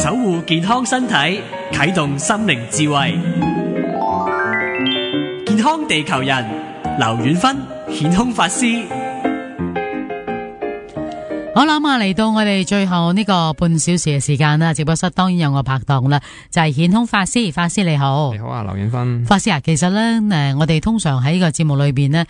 守護健康身體，啟動心靈智慧。健康地球人，劉遠芬顯空法師。好啦，嚟到我哋最後呢個半小時嘅時間啦，直播室當然有我拍檔啦，就係顯空法師。法師你好。你好啊，劉遠芬。法師啊，其實咧，我哋通常喺呢個節目裏邊呢，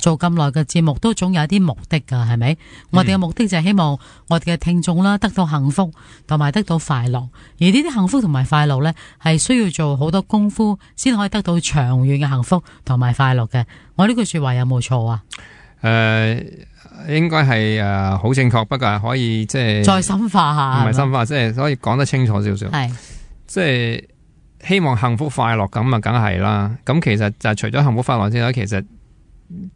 做咁耐嘅節目都總有一啲目的噶，係咪？我哋嘅目的就係希望我哋嘅聽眾啦得到幸福同埋得到快樂，而呢啲幸福同埋快樂呢，係需要做好多功夫先可以得到長遠嘅幸福同埋快樂嘅。我呢句說話有冇錯啊？應該係好正確，不過係可以即係再深化下，唔係深化，即係可以講得清楚少少。係即係希望幸福快樂咁啊，梗係啦。咁其實就係除咗幸福快樂之外，其實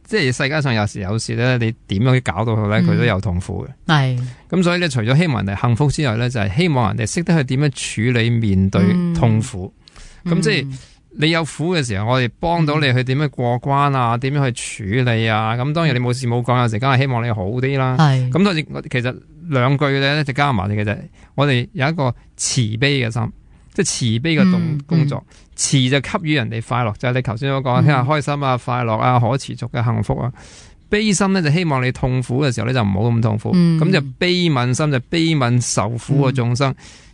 即係世界上有時咧，你點樣搞到佢咧，佢都有痛苦嘅。係咁，所以咧，除咗希望人哋幸福之外咧，就係希望人哋識得去點樣處理面對痛苦。咁即係。你有苦嘅時候，我哋幫到你去點樣過關啊？點樣去處理啊？咁當然你冇事冇講，有時梗係希望你好啲啦。係咁，其實兩句咧就加埋嘅就係我哋有一個慈悲嘅心，即係慈悲嘅工作。慈就給予人哋快樂，就係你頭先所講，聽下開心啊、快樂啊、可持續嘅幸福啊。悲心咧就希望你痛苦嘅時候咧就唔好咁痛苦。咁就悲憫心就悲憫受苦嘅眾生。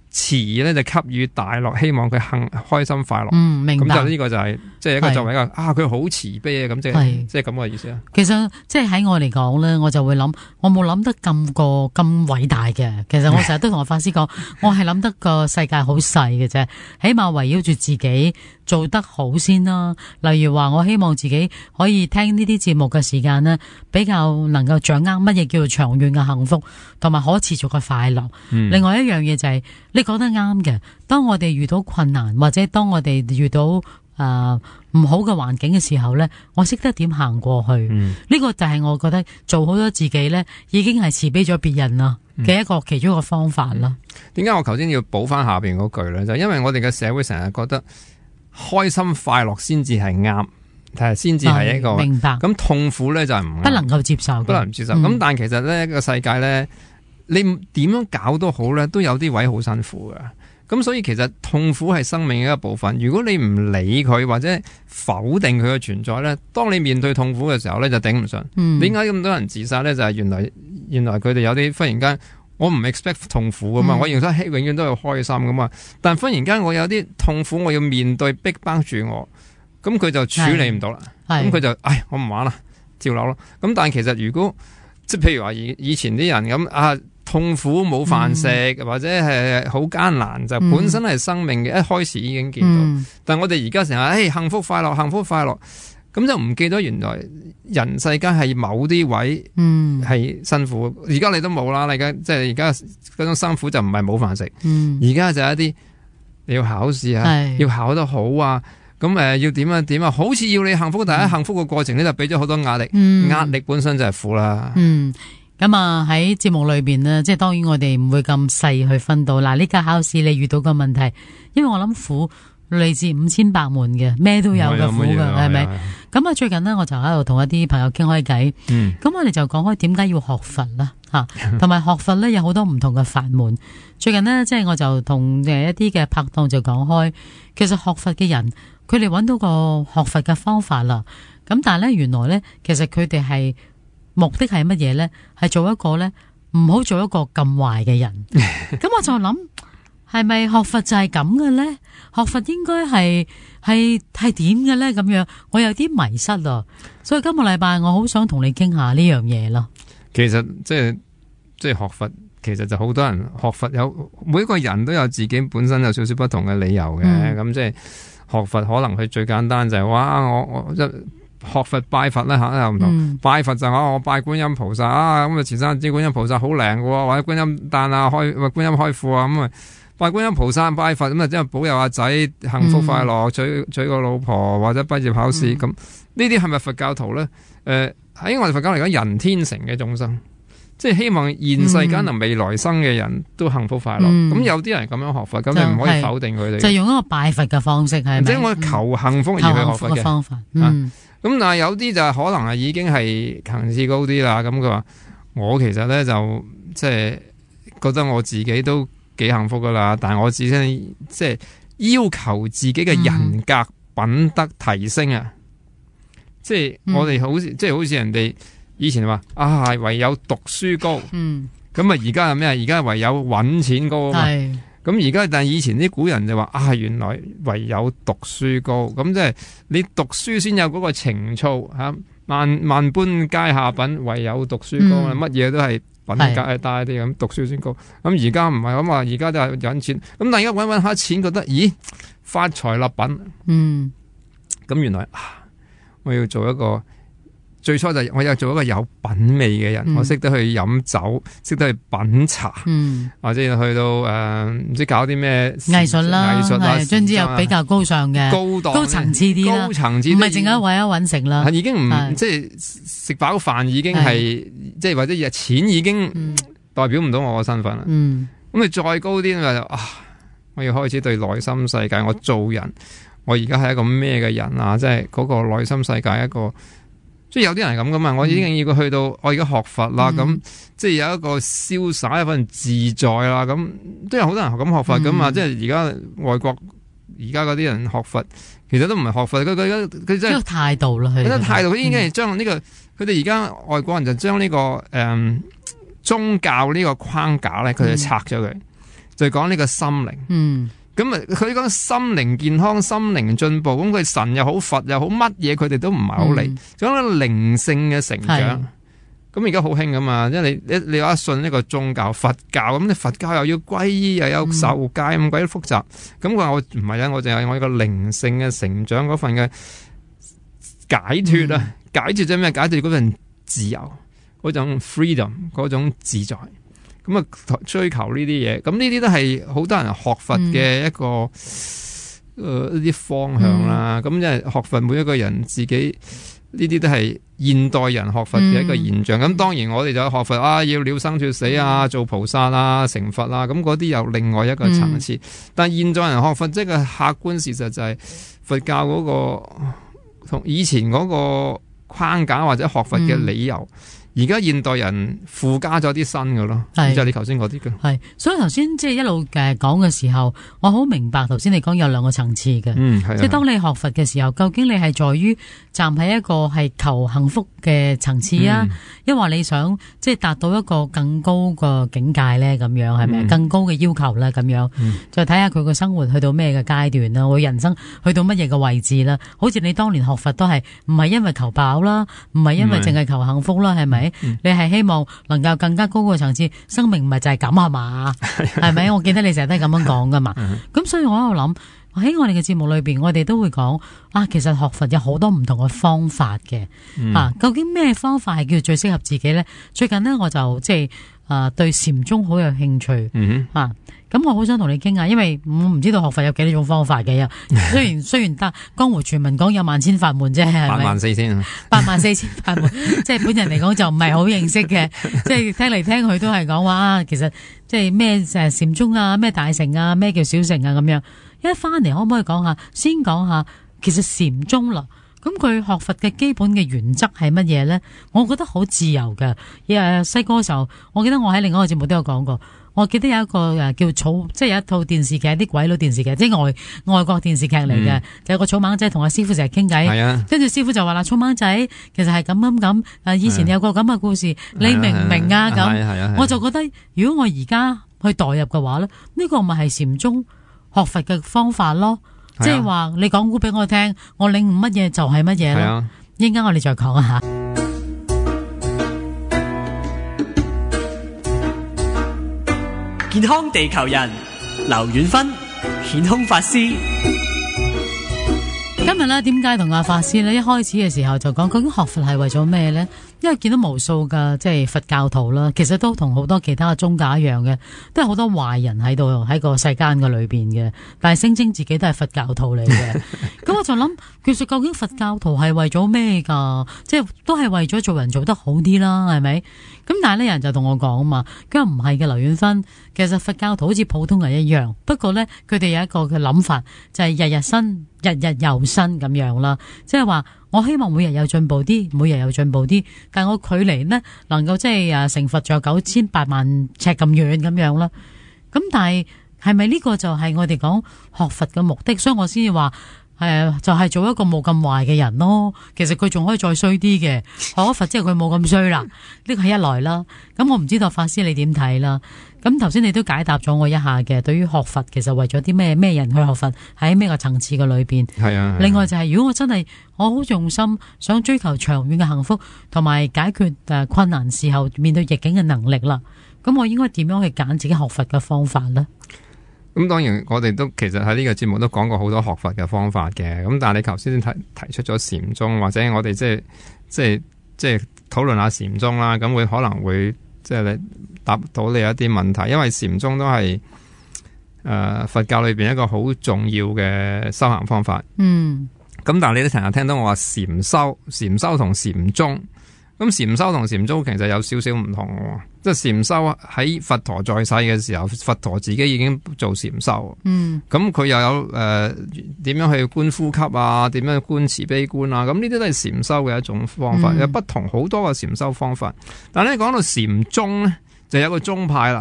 慈咧就給予大樂，希望佢開心快樂。明白。咁就呢個就係即係一個作為一個佢好慈悲啊，咁即係咁嘅意思啊。其實即係喺我嚟講咧，我就會諗，我冇諗得咁偉大嘅。其實我成日都同我法師講，我係諗得個世界好細嘅啫，起碼圍繞住自己做得好先啦。例如話，我希望自己可以聽呢啲節目嘅時間呢，比較能夠掌握乜嘢叫做長遠嘅幸福同埋可持續嘅快樂。另外一樣嘢就係你講得啱嘅，當我哋遇到困難或者當我哋遇到唔好嘅環境嘅時候呢，我識得點行過去。呢個就係我覺得做好咗自己呢，已經係慈悲咗別人啦嘅一個其中一個方法啦。點解我頭先要補翻下邊嗰句呢？就因為我哋嘅社會成日覺得開心快樂先至係啱，先至係一個明白。咁痛苦呢，就係唔不能夠接受，不能接受。咁但係其實呢個世界呢，你點樣搞都好咧，都有啲位好辛苦嘅。咁所以其實痛苦係生命嘅一部分。如果你唔理佢或者否定佢嘅存在咧，當你面對痛苦嘅時候咧，就頂唔順。點解咁多人自殺咧？就係原來佢哋有啲忽然間，我唔 expect 痛苦噶嘛，我認為永遠都係開心噶嘛。但忽然間我有啲痛苦，我要面對逼迫住我，咁佢就處理唔到啦。咁佢就我唔玩啦，跳樓咯。咁但係其實如果即係譬如話以前啲人咁痛苦冇飯食，或者係好艱難，就本身係生命嘅一開始已經見到。但係我哋而家成日幸福快樂，幸福快樂，咁就唔記得原來人世間係某啲位係辛苦。而家你都冇啦，你而家嗰種辛苦就唔係冇飯食，而家就係一啲你要考試啊，要考得好啊，咁要點啊點啊，好似要你幸福，但係幸福嘅過程呢，就俾咗好多壓力，壓力本身就係苦啦。咁喺節目裏邊呢，即係當然我哋唔會咁細去分到。嗱，呢家考試你遇到個問題，因為我諗苦嚟自5000百門嘅，咩都有嘅苦㗎，係咪？咁最近呢，我就喺度同一啲朋友傾開偈，咁我哋就講開點解要學佛啦，同埋學佛呢有好多唔同嘅法門。最近呢，即係我就同一啲嘅拍檔就講開，其實學佛嘅人，佢哋揾到個學佛嘅方法啦。咁但係呢，原來呢，其實佢哋係目的係乜嘢呢？係做一個呢，唔好做一個咁壞嘅人。咁我就諗，係咪學佛就係咁嘅呢？學佛應該係點嘅呢？咁樣我有啲迷失啦。所以今個禮拜我好想同你傾下呢樣嘢咯。其實即係學佛，其實就好多人學佛每個人都有自己本身有少少不同嘅理由嘅。咁即係學佛可能佢最簡單就係我學佛拜佛咧又唔同，拜佛就我拜觀音菩薩咁前生知觀音菩薩好靈嘅，或者觀音誕觀音開庫咁拜觀音菩薩拜佛咁即係保佑阿仔幸福快樂，娶個老婆或者畢業考試咁。呢啲係咪佛教徒咧？喺我哋佛教嚟講，人天成嘅眾生，即係希望現世間同未來生嘅人都幸福快樂。咁有啲人咁樣學佛，咁你唔可以否定佢哋。就用一個拜佛嘅方式係咪？即係我求幸福而去學佛嘅方法。咁但係有啲就可能係已經係層次高啲啦。咁佢話我其實咧就即係覺得我自己都幾幸福噶啦。但係我只係即係要求自己嘅人格品德提升啊！即係我哋好似即係好似人哋以前話啊，唯有讀書高。咁啊，而家係咩啊？而家唯有揾錢高啊嘛。咁而家但係以前啲古人就話啊，原來唯有讀書高。咁即係你讀書先有嗰個情操嚇。萬般皆下品，唯有讀書高啊！乜嘢都係品格大啲咁，讀書先高。咁而家唔係咁話，而家都係揾錢。咁但係而家揾下錢，覺得咦發財立品。咁原來我要做一個。最初就我有做一個有品味嘅人，我識得去飲酒，識得去品茶，或者去到唔知搞啲咩藝術啦，總之又比較高尚嘅、高層次啲啦，唔係淨係為咗揾食啦。已經唔即係食飽飯已經係即係或者錢已經代表唔到我嘅身份啦。咁你再高啲就我要開始對內心世界，我做人，我而家係一個咩嘅人啊？即係嗰個內心世界一個。即係有啲人係咁噶嘛，我已經要去到我而家學佛啦，咁即係有一個瀟灑一份自在啦，咁都有好多人咁學佛噶嘛。即係而家外國而家嗰啲人學佛，其實都唔係學佛，佢真係態度啦，佢態度，佢已經係將呢個佢哋而家外國人就將呢個宗教呢個框架咧，佢哋拆咗佢，就講呢個心靈。咁啊，佢講心靈健康、心靈進步，咁佢神又好、佛又好，乜嘢佢哋都唔係好理，講個靈性嘅成長。咁而家好興噶嘛，因為你話信呢個宗教，佛教咁，你佛教又要皈依，又有受戒，咁鬼複雜。咁佢話我唔係啊，我淨係我一個靈性嘅成長嗰份嘅解脫啊，解脫咗咩？解脫嗰份自由，嗰種 freedom， 嗰種自在。咁啊，追求呢啲嘢，咁呢啲都係好多人學佛嘅一個一啲方向啦。咁即係學佛，每一個人自己呢啲都係現代人學佛嘅一個現象。咁當然我哋就學佛要了生脫死啊，做菩薩啊，成佛啊，咁嗰啲有另外一個層次。但係現代人學佛，即係個客觀事實就係佛教嗰個同以前嗰個框架或者學佛嘅理由。而家現代人附加咗啲新嘅咯，就係你頭先嗰啲嘅。係，所以頭先即係一路講嘅時候，我好明白頭先你講有兩個層次嘅。即係當你學佛嘅時候，究竟你係在於站喺一個係求幸福嘅層次啊，抑或你想即係達到一個更高個境界咧？咁樣係咪？更高嘅要求咧？咁樣再睇下佢個生活去到咩嘅階段啦，我人生去到乜嘢嘅位置啦？好似你當年學佛都係唔係因為求飽啦，唔係因為淨係求幸福啦，係咪？你係希望能夠更加高個層次，生命唔係就係咁係嘛？係咪？我記得你成日都係咁樣講噶嘛。咁所以我喺度諗，喺我哋嘅節目裏邊，我哋都會講其實學佛有好多唔同嘅方法嘅。究竟咩方法係叫最適合自己咧？最近呢，我就即係對禪宗好有興趣。咁我好想同你傾下，因為我唔知道學佛有幾多種方法嘅。雖然得江湖傳聞講有萬千法門啫，係咪？84000法門，即係本人嚟講就唔係好認識嘅，即係聽嚟聽去都係講話其實即係咩禪宗啊，咩大乘啊，咩叫小乘啊咁樣。一翻嚟可唔可以先講下其實禪宗啦？咁佢學佛嘅基本嘅原則係乜嘢咧？我覺得好自由嘅。細個嘅時候，我記得我喺另一個節目都有講過。我記得有一個叫即係有一套電視劇，啲鬼佬電視劇，即係外國電視劇嚟嘅，就有個草蜢仔同阿師傅成日傾偈，跟住師傅就話啦：草蜢仔其實係咁，以前有個咁嘅故事，你明唔明啊？咁我就覺得，如果我而家去代入嘅話咧，呢個咪係禪宗學佛嘅方法咯，即係話你講古俾我聽，我領悟乜嘢就係乜嘢咯。一陣間我哋再講一下。健康地球人劉遠芬顯空法師，今日咧點解同阿法師咧一開始嘅時候就講究竟學佛係為咗咩咧？因為見到無數嘅即係佛教徒啦，其實都同好多其他嘅宗教一樣嘅，都係好多壞人喺度喺個世間嘅裏邊嘅，但係聲稱自己都係佛教徒嚟嘅。咁我就諗，其實究竟佛教徒係為咗咩噶？即係都係為咗做人做得好啲啦，係咪？咁但係呢人就同我講啊嘛，佢話唔係嘅，劉遠芬，其實佛教徒好似普通人一樣，不過咧佢哋有一個嘅諗法，就係日日新，日日又新咁樣啦，即係話我希望每日有進步啲，每日有進步啲，但係我距離呢能夠即係成佛仲有98萬尺咁遠咁樣啦。咁但係咪呢個就係我哋講學佛嘅目的？所以我先至話就係做一個冇咁壞嘅人咯。其實佢仲可以再衰啲嘅，學咗佛之後佢冇咁衰啦。呢個係一來啦。咁我唔知道法師你點睇啦。咁頭先你都解答咗我一下嘅，對於學佛其實為咗啲咩人去學佛，喺咩個層次嘅裏邊。係啊。另外就係如果我真係我好用心想追求長遠嘅幸福，同埋解決困難時候面對逆境嘅能力啦，咁我應該點樣去揀自己學佛嘅方法呢？咁當然我哋都其實喺呢個節目都講過好多學佛嘅方法嘅，咁但係你頭先提出咗禪宗，或者我哋即係討論下禪宗啦，咁可能會即係你答到你一啲問題，因為禪宗都係佛教裏邊一個好重要嘅修行方法。咁但係你都成日聽到我話禪修同禪宗。咁禪修同禪宗其實有少少唔同嘅，即係禪修喺佛陀在世嘅時候，佛陀自己已經做禪修。咁佢又有點樣去觀呼吸啊，點樣觀慈悲觀啊，咁呢啲都係禪修嘅一種方法，有不同好多嘅禪修方法。但係咧講到禪宗咧，就有個宗派啦，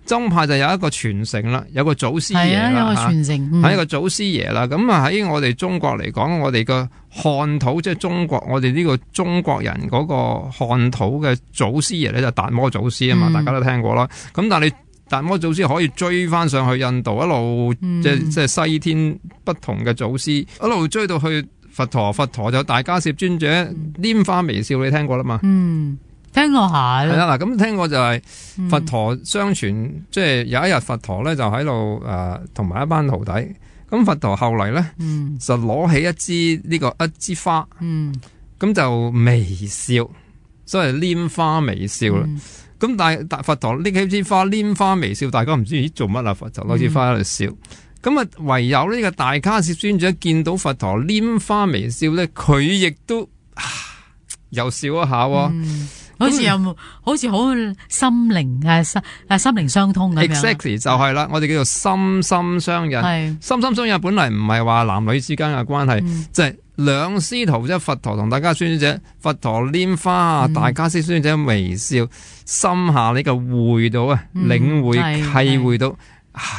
宗派就有一個傳承啦，有個祖師爺啦，有個傳承，係一個祖師爺啦。咁啊喺我哋中國嚟講，我哋個漢土即係中國，我哋呢個中國人嗰個漢土嘅祖師爺咧就達摩祖師啊嘛，大家都聽過啦。咁但係你達摩祖師可以追翻上去印度，一路即係西天不同嘅祖師，一路追到去佛陀，佛陀就大迦葉尊者拈花微笑，你聽過啦嘛？聽過下係啦，嗱咁聽過就係佛陀相傳，即係有一日佛陀咧就喺度同埋一班徒弟，咁佛陀後嚟咧就攞起一支花，咁就微笑，所謂拈花微笑啦。咁但係佛陀拎起支花拈花微笑，大家唔知做乜啦，佛陀攞支花喺度笑。咁啊唯有呢個大迦葉尊者見到佛陀拈花微笑咧，佢亦都又笑一下喎。好似好心靈相通咁樣。Exactly 就係啦，我哋叫做心心相印。心心相印本嚟唔係話男女之間嘅關係，即係兩師徒，即係佛陀同大迦葉尊者，佛陀拈花，大迦葉尊者微笑，心下呢個會到領會契會到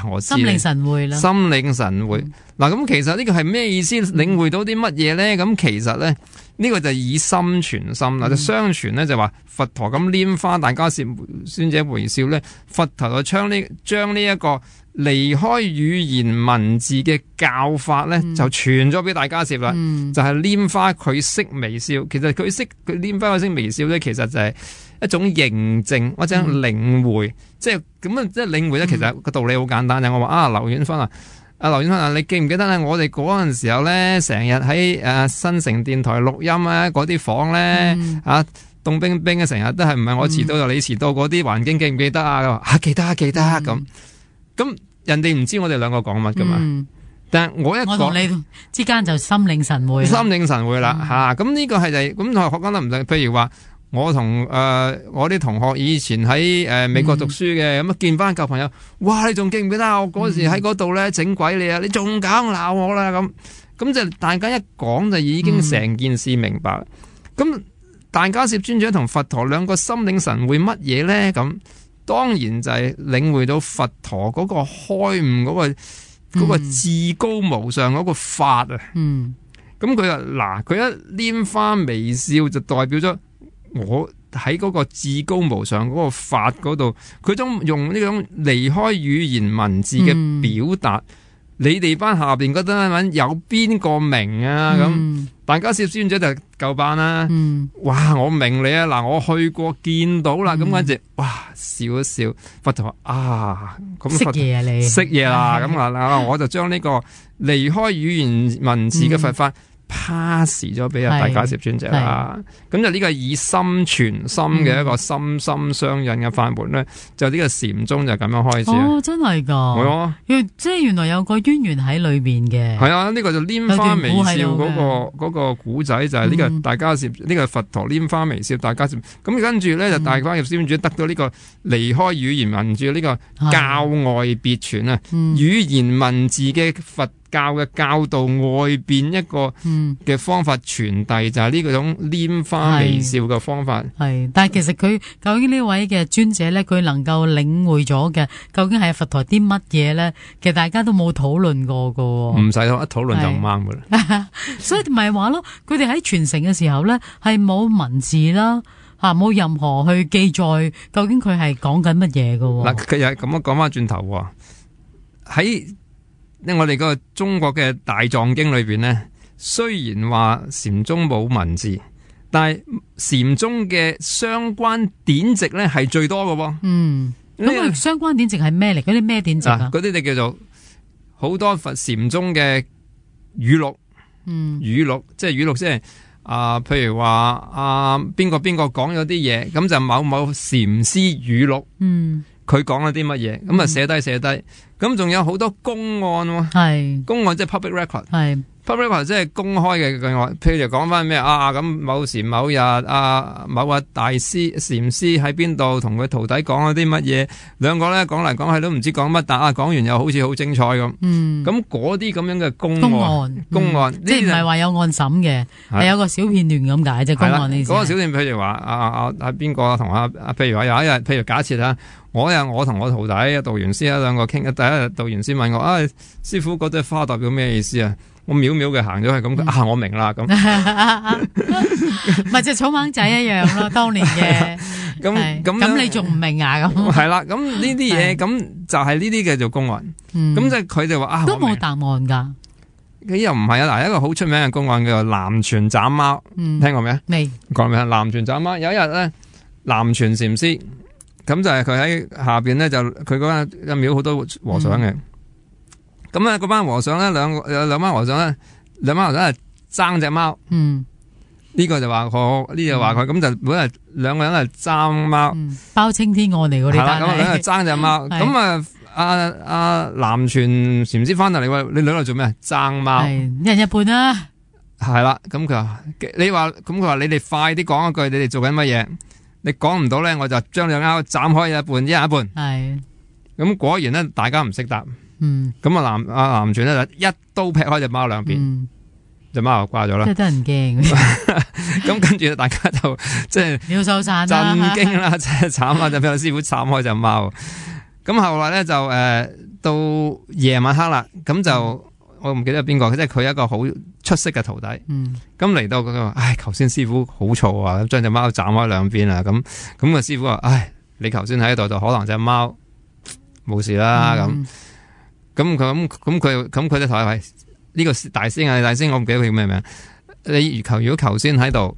我知心領神會啦。心領神會嗱，咁其實呢個係咩意思？領會到啲乜嘢咧？咁其實咧。呢個就以心傳心啦，就相傳咧就話佛陀咁拈花，大迦葉尊者微笑咧，佛陀就將呢一個離開語言文字嘅教法咧，就傳咗俾大迦葉啦。就係拈花佢識微笑，其實佢拈花佢識微笑咧，其實就係一種認證或者領會，即係咁啊！即係領會咧，其實個道理好簡單嘅。我話劉遠芬劉遠芬你記唔記得咧？我哋嗰陣時候咧，成日喺新城電台錄音啊，嗰啲房咧凍冰冰嘅，成日都係唔係我遲到就你遲到嗰啲環境，記唔記得啊？記得咁人哋唔知我哋兩個講乜噶嘛？但係我同你之間就心領神會啦咁呢個係就咁同學講得唔對，譬如話。我同我啲同學以前喺美國讀書嘅，咁見翻舊朋友，哇！你仲記唔記得我嗰時喺嗰度咧整鬼你啊？你仲敢鬧我啦？咁就大家一講就已經成件事明白。咁大迦葉尊者同佛陀兩個心領神會乜嘢咧？咁當然就係領會到佛陀嗰個開悟嗰個至高無上嗰個法啊。咁佢話嗱，佢一拈花微笑就代表咗。我喺嗰個至高無上嗰個法嗰度，佢都用呢種離開語言文字嘅表達，你哋班下邊覺得有邊個明啊？咁大迦葉尊者就夠班啦。哇！我明你啊，嗱，我去過見到啦，咁跟住哇笑一笑，佛陀咁識嘢啊你識嘢啦，咁我就將呢個離開語言文字嘅佛法。pass 咗俾大迦葉尊者啦，咁就呢個以心傳心嘅一個心心相印嘅法門咧，就呢個禪宗就咁樣開始。哦，真係噶，係啊，即係原來有個淵源喺裏邊嘅。係啊，呢個就拈花微笑嗰個古仔就係呢個大迦葉呢個佛陀拈花微笑大迦葉，咁跟住咧就大迦葉尊者得到呢個離開語言文字呢個教外別傳啊，語言文字嘅佛教嘅教導外邊一個嘅方法傳遞，就係呢種拈花微笑嘅方法。係，但係其實佢究竟呢位嘅尊者咧，佢能夠領會咗嘅，究竟係佛陀啲乜嘢咧？其實大家都冇討論過噶。唔使一討論就唔啱噶啦。所以咪話咯，佢哋喺傳承嘅時候咧，係冇文字啦。冇任何去記載究竟佢係講緊乜嘢嘅。嗱，佢又咁樣講翻轉頭喺我哋個中國嘅大藏經裏邊咧，雖然話禪宗冇文字，但係禪宗嘅相關典籍咧係最多嘅。咁相關典籍係咩嚟？嗰啲咩典籍啊？嗰啲就叫做好多佛禪宗嘅語錄。語錄即係語錄，即係。譬如話邊個講咗啲嘢，咁就某某禪師語錄，佢講咗啲乜嘢，咁啊寫低，咁仲有好多公案喎，公案即係 public record，public record 即係公開嘅句話，譬如講翻咩咁某時某日某個大師禪師喺邊度同佢徒弟講咗啲乜嘢，兩個咧講嚟講去都唔知講乜，但講完又好似好精彩咁。咁嗰啲咁樣嘅公案，即係唔係話有案審嘅，係有個小片段咁解啫。公案呢？嗰個小片譬如話邊個同譬如話有一日，譬如假設我同我徒弟道元師兩個傾，第一日道元師問我師傅嗰隻花代表咩意思啊？我秒秒嘅行咗去咁，我明啦咁，咪就草蜢仔一樣咯，當年嘅咁你仲唔明啊？咁係啦，咁呢啲嘢咁就係呢啲嘅做公案，咁即係佢哋話都冇答案噶，佢又唔係啊！嗱，一個好出名嘅公案叫做南泉斬貓，聽過未？未講咩？南泉斬貓有一日咧，南泉禪師咁就係佢喺下邊咧，就佢嗰間廟好多和尚嘅。咁咧，嗰班和尚咧，兩班和尚咧，係爭隻貓。呢個就話佢，呢個話佢，咁就本嚟兩個人係爭貓。包青天案嚟嗰啲。係啦，咁兩個爭隻貓。咁阿南泉禪師翻嚟，你話你兩個做咩？爭貓。一人一半啦。係啦，咁佢話佢話你哋快啲講一句，你哋做緊乜嘢？你講唔到咧，我就將兩貓斬開一半，一人一半。係。咁果然咧，大家唔識答。咁南泉咧就一刀劈開隻貓兩邊，隻貓就掛咗啦。真係得人驚。咁跟住大家就即係鳥獸散震驚啦，即係慘啦，就俾個師傅斬開隻貓。咁後來咧就到夜晚黑啦，咁就我唔記得邊個，即係佢一個好出色嘅徒弟。咁嚟到佢話，頭先師傅好嘈啊，將隻貓斬開兩邊啊。咁個師傅話，你頭先喺度就可能隻貓冇事啦咁。咁佢就同佢呢個大師啊，大師我唔記得佢叫咩名。你如果頭先喺度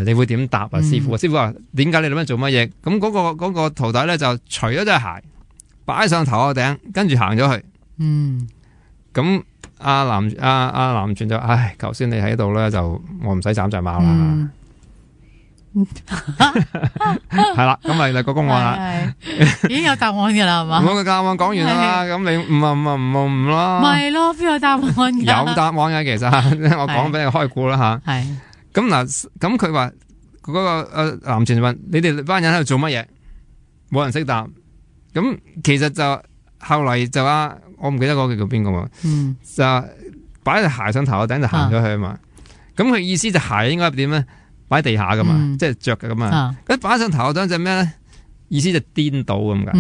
你會點答啊？師傅師傅話點解你咁樣做乜嘢？咁嗰個徒弟咧就除咗隻鞋，擺上頭個頂，跟住行咗去。咁阿南泉就頭先你喺度咧，就我唔使斬隻貓啦。係啦，咁咪個公案啦，已經有答案噶啦，係嘛？我個答案講完啦，咁你唔咯？咪咯，邊有答案噶？有答案嘅，其實我講俾你開估啦吓。係咁嗱，咁佢話嗰個南泉問你哋班人喺度做乜嘢？冇人識答。咁其實就後嚟就我唔記得嗰個叫邊個嘛。就擺隻鞋上頭個頂就行咗去啊嘛。咁佢意思就鞋應該點咧？擺地下噶嘛，即係着嘅咁嘛。一擺上頭嗰隻咩咧？意思就顛倒咁噶。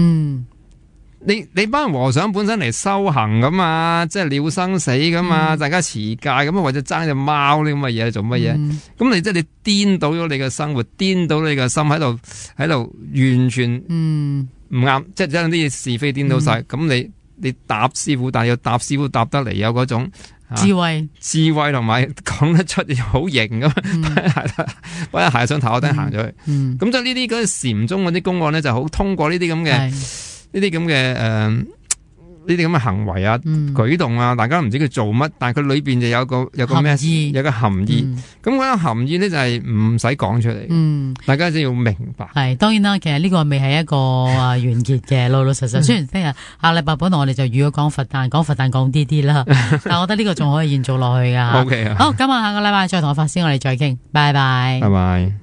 你班和尚本身嚟修行噶嘛，即係了生死噶嘛，大家持戒咁或者爭隻貓呢咁嘅嘢做乜嘢？咁你即係你顛倒咗你嘅生活，顛倒你嘅心喺度完全唔啱，即係將啲是非顛倒晒。咁你答師傅，但係要答師傅答得嚟有嗰種。智慧同埋講得出好型咁，擺鞋上頭我頂行咗去。咁即係呢啲嗰啲禪宗嗰啲公案咧，就好通過呢啲咁嘅行為啊、舉動啊，大家唔知佢做乜，但係佢裏邊就有個咩有個含義。咁嗰個含義咧就係唔使講出嚟，大家只要明白。係當然啦，其實呢個未係一個完結嘅，老老實實。雖然聽日下禮拜本來我哋就預咗講佛誕講啲啦，但我覺得呢個仲可以延續落去噶。OK 啊，好，咁下個禮拜再同我法師我哋再傾，拜拜。拜拜。